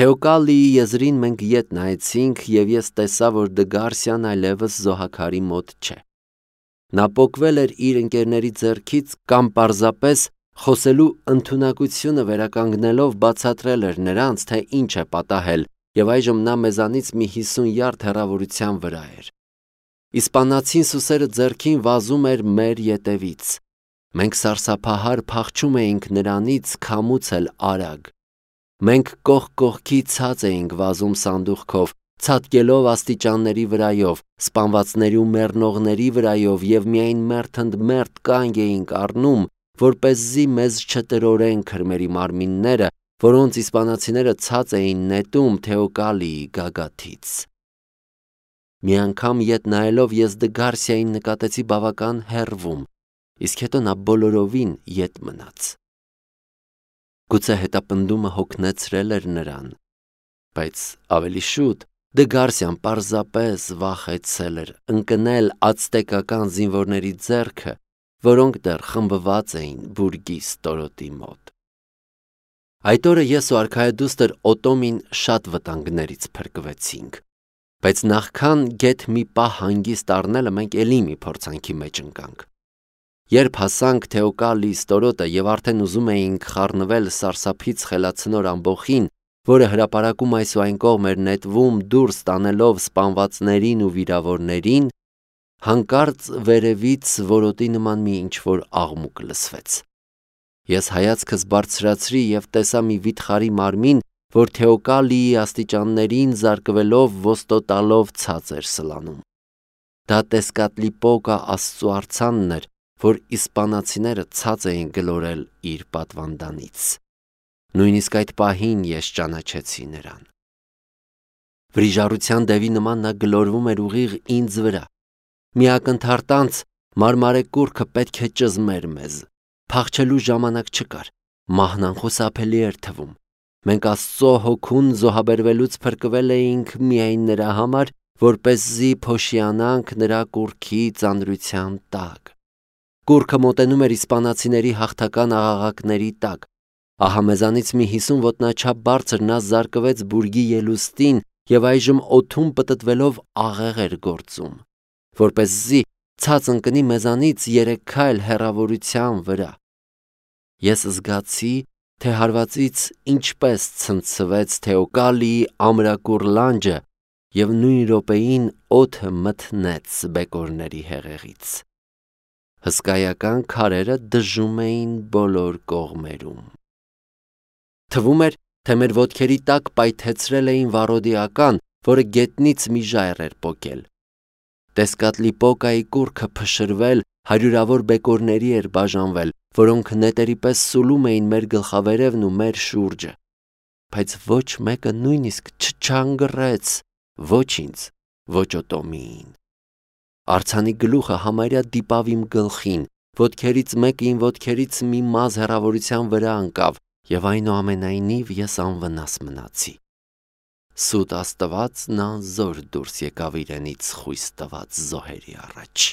Թեոկալիի եզրին մենք ետ նայեցինք և ես տեսա, որ Դգարսյան այլևս զոհաքարի մոտ չէ։ Նա պոկվել էր իր ընկերների ձեռքից կամ պարզապես խոսելու ընդունակությունը վերականգնելով բացատրել էր նրանց, թե ինչ է պատահել, և այժմ նա մեզանից մի 50 յարդ հեռավորության վրա էր։ Իսպանացին սուսերը ձեռքին վազում էր մեր ետևից։ Մենք սարսափահար փախչում էինք նրանից քամուց էլ արագ։ Մենք կողք կողքի ցած էինք վազում սանդուղքով, ցատկելով աստիճանների վրայով, սպանվածների ու մեռնողների վրայով և միայն մերթ ընդ մերթ կանգ էինք առնում, որպեսզի մեզ չտրորեն քրմերի մարմինները, որոնց իսպանացիները ցած էին նետում Թեոկալիի գագաթից։ Մի անգամ ետ նայելով ես Դգարսիային նկատեցի բավական հեռվում, իսկ հետո նա բոլորովին ետ մնաց։ Գուցե հետապնդումը հոգնեցրել էր նրան, բայց ավելի շուտ Դգարսիան պարզապես վախեցել էր ընկնել ացտեկական զինվորների ձեռքը, որոնք դեռ խմբված էին բուրգի ստորոտի մոտ։ Այդ օրը ես ու արքայադուստր Օտոմին շատ վտանգներից փրկվեցինք, բայց նախքան գեթ մի պահ հանգիստ առնելը մենք էլի մի փորձանքի մեջ ընկանք։ Երբ հասանք Թեոկալիի ստորոտը և արդեն ուզում էինք խառնվել սարսափից խելացնոր ամբոխին, որը հրապարակում այս ու այն կողմ էր նետվում դուրս տանելով սպանվածներին ու վիրավորներին, հանկարծ վերևից որոտի նման մի ինչ-որ աղմուկ լսվեց։ Ես հայացքս բարձրացրի և տեսա մի վիթխարի մարմին, որ Թեոկալիի աստիճաններին զարկվելով ոստոտալով ցած էր սլանում։ Դա Տեսկատլիպոկա աստծու արձանն էր, որ իսպանացիները ցած էին գլորել իր պատվանդանից։ Նույնիսկ այդ պահին ես ճանաչեցի նրան։ Վրիժառության դևի նման նա գլորվում էր ուղիղ ինձ վրա։ Մի ակնթարթանց մարմարե կուռքը պետք է ճզմեր մեզ։ Փախչելու ժամանակ չկար, մահն անխուսափելի էր թվում։ Մենք Աստծո հոգուն զոհաբերվելուց փրկվել էինք միայն նրա համար, որպեսզի փոշիանանք նրա կուռքի ծանրության տակ։ Կուռքը մոտենում էր իսպանացիների հաղթական աղաղակների տակ։ Ահա մեզանից մի 50 ոտնաչափ բարձր նա զարկվեց բուրգի ելուստին և այժմ օդում պտտվելով աղեղ էր գործում, որպեսզի ցած ընկնի մեզանից 3 քայլ հեռավորության վրա։ Ես զգացի, թե հարվածից ինչպես ցնցվեց Թեոկալիի ամրակուռ լանջը և նույն րոպեին օդը մթնեց բեկորների հեղեղից։ Հսկայական քարերը դժում էին բոլոր կողմերում։ Թվում էր, թե մեր ոտքերի տակ պայթեցրել էին վառոդիական, որը գետնից մի ժայռ էր պոկել։ Տեսկատլիպոկայի կուռքը փշրվել, հարյուրավոր բեկորների էր բաժանվել, որոնք նետերի պես սուլում էին մեր գլխավերևն ու մեր շուրջը, բայց ոչ մեկը նույնիսկ չչանգռեց ոչ ինձ, ոչ Օտոմիին։ Արձանի գլուխը համարյա դիպավ իմ գլխին, ոտքերից մեկը իմ ոտքերից մի մազь հեռավորության վրա ընկավ, և այնուամենայնիվ ես անվնաս մնացի։ Սուտ Աստվածն անզոր դուրս եկավ իրենից խույս տված զոհերի առաջ։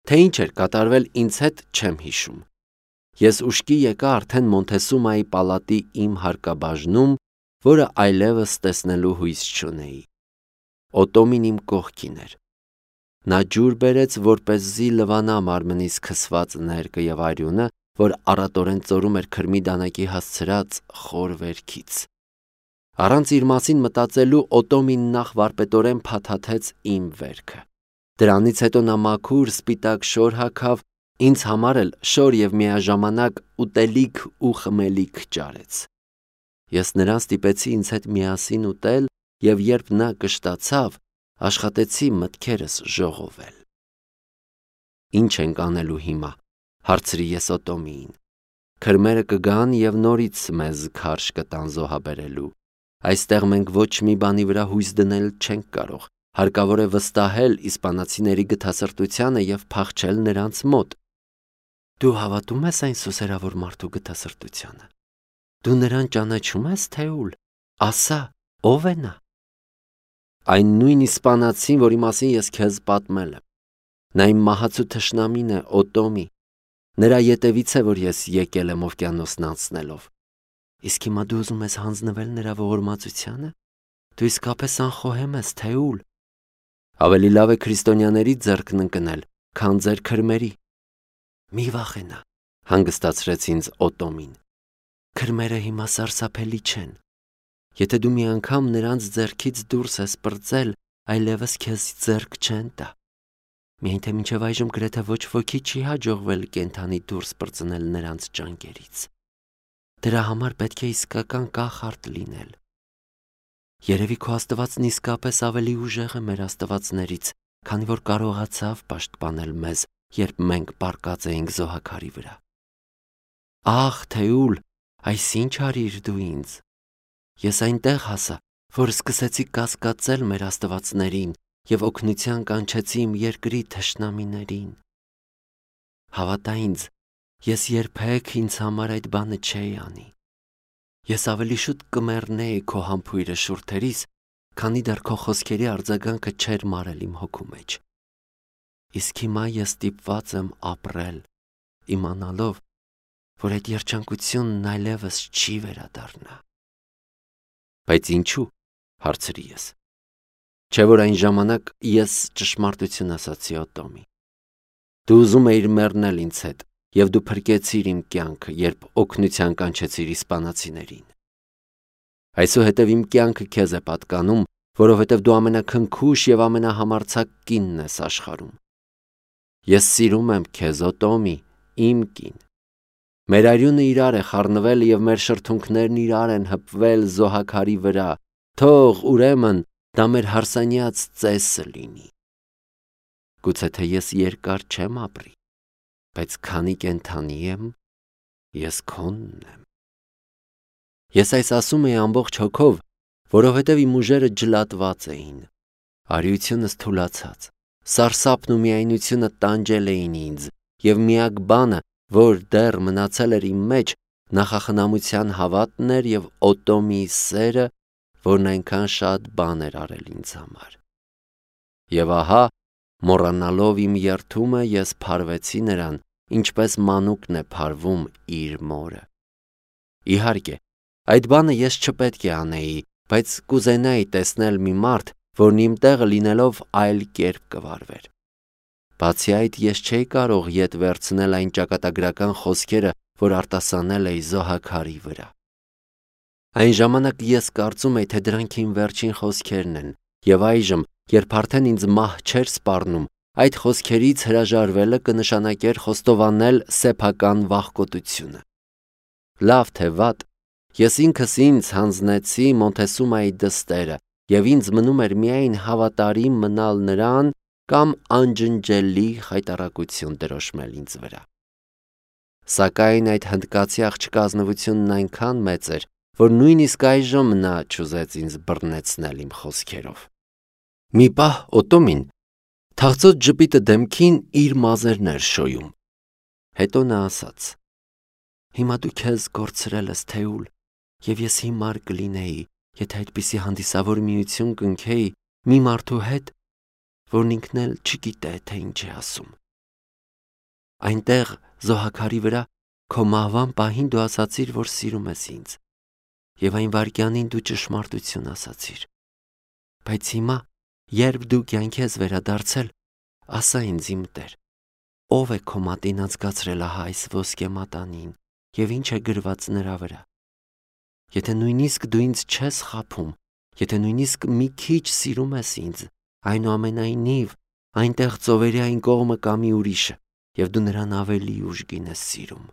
Թե ինչ էր կատարվել ինձ հետ չեմ հիշում։ Ես ուշքի եկա արդեն Մոնթեսումայի պալատի իմ հարկաբաժնում, որը այլևս տեսնելու հույս չունեի։ Օտոմին իմ կողքին էր։ Նա ջուր բերեց, որպեսզի լվանա մարմնից քսված ներկը և արյունը, որ առատորեն ծորում էր քրմի դանակի հասցրած խոր վերքից։ Առանց իր մասին մտածելու Օտոմին նախ վարպետորեն փաթաթեց իմ վերքը։ Դրանից հետո նա մաքուր սպիտակ շոր հագավ, ինձ համար էլ շոր և միաժամանակ ուտելիք ու խմելիք ճարեց։ Ես նրան ստիպեցի ինձ հետ միասին ուտել և երբ նա կշտացավ, աշխատեցի մտքերս ժողովել։ Ինչ ենք անելու հիմա, հարցրի ես Օտոմիին։ Քրմերը կգան և նորից մեզ քարշ կտան զոհաբերելու։ Այստեղ մենք ոչ մի բանի վրա հույս դնել չենք կարող, հարկավոր է վստահել իսպանացիների գթասրտությանը և փախչել նրանց մոտ։ Դու հավատում ես այն սուսերավոր մարդու գթասրտությանը։ Դու նրան ճանաչում ես, Թեուլ, ասա, ով է նա։ Այն նույն իսպանացին, որի մասին ես քեզ պատմել եմ։ Նա իմ մահացու թշնամին է, Օտոմի։ Նրա ետևից է, որ ես եկել եմ օվկիանոսն անցնելով։ Իսկ հիմա դու ուզում ես հանձնվել նրա ողորմածությանը։ Դու իսկապես անխոհեմ ես, Թեուլ։ Ավելի լավ է քրիստոնյաների ձեռքն ընկնել, քան ձեր քրմերի։ Մի վախենա, հանգստացրեց ինձ Օտոմին։ Քրմերը հիմա սարսափելի չեն։ Եթե դու մի անգամ նրանց ձեռքից դուրս ես պրծել, այլևս քեզ ձեռք չեն տա։ Միայն թե մինչև այժմ գրեթե ոչ ոքի չի հաջողվել կենդանի դուրս պրծնել նրանց ճանկերից։ Դրա համար պետք է իսկական կախարդ լինել։ Երևի քո Աստվածն իսկապես ավելի ուժեղ է մեր աստվածներից, քանի որ կարողացավ պաշտպանել մեզ, երբ մենք պառկած էինք զոհաքարի վրա։ Ախ, Թեուլ, այսինչ արիր դու ինձ։ Ես այնտեղ հասա, որ սկսեցի կասկածել մեր աստվածներին և օգնության կանչեցի իմ երկրի թշնամիներին։ Հավատա ինձ, ես երբեք ինձ համար այդ բանը չէի անի։ Ես ավելի շուտ կմեռնեի քո համբույրը շուրթերիս, քանի դեռ քո խոսքերի արձագանքը չէր մարել իմ հոգու մեջ։ Իսկ հիմա ես ստիպված եմ ապրել, իմանալով, որ այդ երջանկությունն այլևս չի վերադառնա։ Բայց ինչու՞, հարցրի ես։ Չէ՞ որ այն ժամանակ ես ճշմարտություն ասացի Օտոմի։ Դու ուզում էիր մեռնել ինձ հետ, և դու փրկեցիր իմ կյանքը, երբ օգնության կանչեցիր իսպանացիներին։ Այսուհետև իմ կյանքը քեզ է պատկանում, որովհետև դու ամենաքնքուշ և ամենահամարձակ կինն ես աշխարհում։ Ես սիրում եմ քեզ, Օտոմի, իմ կին։ Մեր արյունը իրար է խառնվել և մեր շրթունքներն իրար են հպվել զոհաքարի վրա, թող ուրեմն դա մեր հարսանյաց ծեսը լինի։ Գուցե թե ես երկար չեմ ապրի, բայց քանի կենդանի եմ, ես քոնն եմ։ Ես այս ասում էի ամբողջ հոգով, որովհետև իմ ուժերը ջլատված էին, արիությունս թուլացած, սարսափն ու միայնությունը տանջել էին ինձ, և միակ բանը, որ դեռ մնացել էր իմ մեջ, նախախնամության հավատն էր և Օտոմի սերը, որն այնքան շատ բան էր արել ինձ համար։ Եվ ահա, մոռանալով իմ երդումը, ես փարվեցի նրան, ինչպես մանուկն է փարվում իր մորը։ Իհարկե, այդ բանը ես չպետք է անեի, բայց կուզենայի տեսնել մի մարդ, որն իմ տեղը լինելով այլ կերպ կվարվեր։ Բացի այդ, ես չէի կարող ետ վերցնել այն ճակատագրական խոսքերը, որ արտասանել էի զոհաքարի վրա։ Այն ժամանակ ես կարծում էի, թե դրանք իմ վերջին խոսքերն են, և այժմ, երբ արդեն ինձ մահ չէր սպառնում, այդ խոսքերից հրաժարվելը կնշանակեր խոստովանել սեփական վախկոտությունը։ Լավ թե վատ, ես ինքս ինձ հանձնեցի Մոնտեսումայի դստերը, և ինձ մնում էր միայն հավատարիմ մնալ նրան կամ անջնջելի խայտառակություն դրոշմել ինձ վրա։ Սակայն այդ հնդկացի աղջկա ազնվությունն այնքան մեծ էր, որ նույնիսկ այժմ նա չուզեց ինձ բռնեցնել իմ խոսքերով։ Մի պահ Օտոմին թախծոտ ժպիտը դեմքին իր մազերն էր շոյում։ Հետո նա ասաց. Հիմա դու քեզ կորցրել ես, Թեուլ, և ես հիմար կլինեի, եթե այդպիսի հանդիսավոր միություն կնքեի մի մարդու հետ, որն ինքն էլ չգիտե, թե ինչ է ասում։ Այնտեղ զոհաքարի վրա քո մահվան պահին դու ասացիր, որ սիրում ես ինձ, և այն վայրկյանին դու ճշմարտություն ասացիր։ Բայց հիմա, երբ դու կյանքի ես վերադարձել, ասա ինձ, իմ Տեր, ով է քո մատին անցկացրել ահա այս ոսկե մատանին, և ինչ է գրված նրա վրա։ Եթե նույնիսկ դու ինձ չես խաբում, եթե նույնիսկ մի քիչ սիրում ես ինձ, այնուամենայնիվ, այնտեղ ծովերի այն կողմը կա մի ուրիշը, և դու նրան ավելի ուժգին ես սիրում։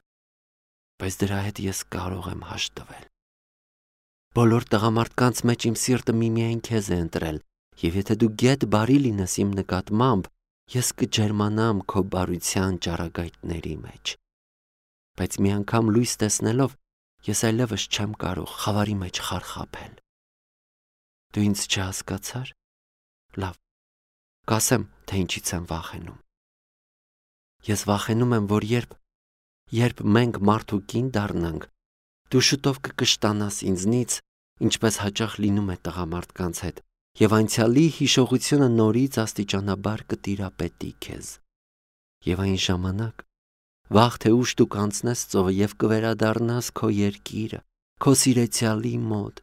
Բայց դրա հետ ես կարող եմ հաշտվել։ Բոլոր տղամարդկանց մեջ իմ սիրտը միմիայն քեզ է ընտրել, և եթե դու գեթ բարի լինես իմ նկատմամբ, ես կջերմանամ քո բարության ճառագայթների մեջ։ Բայց մի անգամ լույս տեսնելով, ես այլևս չեմ կարող խավարի մեջ խարխափել։ Դու ինձ չհասկացար։ Լավ, կասեմ, թե ինչից եմ վախենում։ Ես վախենում եմ, որ երբ մենք մարդ ու կին դառնանք, դու շուտով կկշտանաս ինձնից, ինչպես հաճախ լինում է տղամարդկանց հետ, և անցյալի հիշողությունը նորից աստիճանաբար կտիրապետի քեզ։ Եվ այն ժամանակ, վաղ թե ուշ դու կանցնես ծովը և կվերադառնաս քո երկիրը, քո սիրեցյալի մոտ։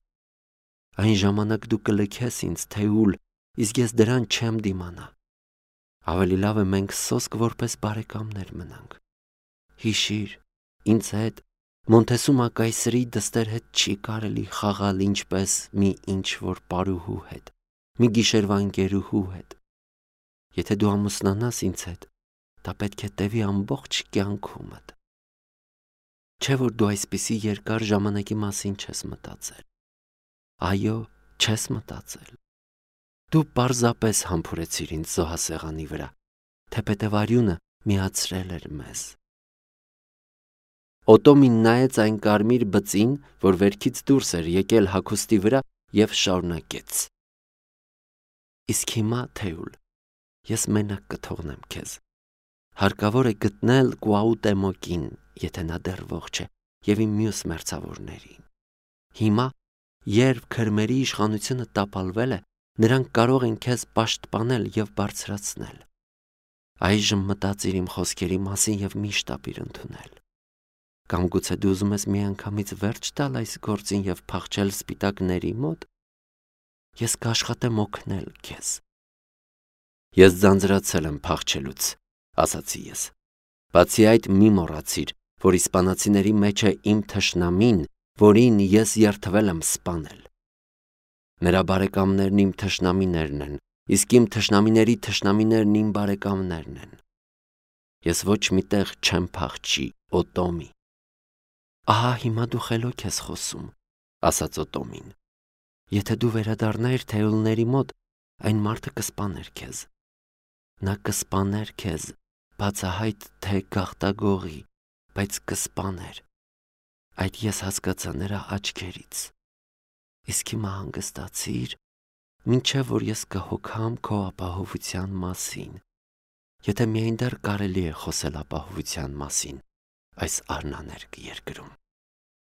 Այն ժամանակ դու կլքես ինձ, Թեուլ, իսկ ես դրան չեմ դիմանա։ Ավելի լավ է մենք սոսկ որպես բարեկամներ մնանք։ Հիշիր, ինձ հետ Մոնտեսումա կայսրի դստեր հետ չի կարելի խաղալ ինչպես մի ինչ-որ պարուհու հետ, մի գիշերվա ընկերուհու հետ։ Եթե դու ամուսնանաս ինձ հետ, դա պետք է տևի ամբողջ կյանքումդ։ Չէ՞ որ դու այսպիսի երկար ժամանակի մասին չես մտածել։ Այո, չես մտածել։ Դու պարզապես համբուրեցիր ինձ զոհասեղանի վրա, թեպետև արյունը միացրել էր մեզ։ Օտոմին նայեց այն կարմիր բծին, որ վերքից դուրս էր եկել հագուստի վրա և շարունակեց. Իսկ հիմա, Թեուլ, ես մենակ կթողնեմ քեզ։ Հարկավոր է գտնել Կուաուտեմոկին, եթե նա դեռ ողջ է, և իմ մյուս մերձավորներին։ Հիմա, երբ քրմերի իշխանությունը տապալվել է, նրանք կարող են քեզ պաշտպանել և բարձրացնել։ Այժմ մտածիր իմ խոսքերի մասին և մի շտապիր ընդունել։ Կամ գուցե դու ուզում ես միանգամից վերջ տալ այս գործին և փախչել սպիտակների մոտ։ Ես կաշխատեմ օգնել քեզ։ Ես ձանձրացել եմ փախչելուց, ասացի ես։ Բացի այդ, մի մոռացիր, որ իսպանացիների մեջ է իմ թշնամին, որին ես երդվել եմ սպանել։ Նրա բարեկամներն իմ թշնամիներն են, իսկ իմ թշնամիների թշնամիներն իմ բարեկամներն են։ Ես ոչ մի տեղ չեմ փախչի, Օտոմի։ Ահա հիմա դու խելոք ես խոսում, ասաց Օտոմին։ Եթե դու վերադառնայիր Թեուլների մոտ, այն մարդը կսպաներ քեզ։ Նա կսպաներ քեզ, բացահայտ թե գաղտագողի, բայց կսպաներ։ Այդ ես հասկացա նրա աչքերից։ Իսկ հիմա հանգստացիր, մինչև որ ես կհոգամ քո ապահովության մասին, եթե միայն դեռ կարելի է խոսել ապահովության մասին այս արնաներկ երկրում։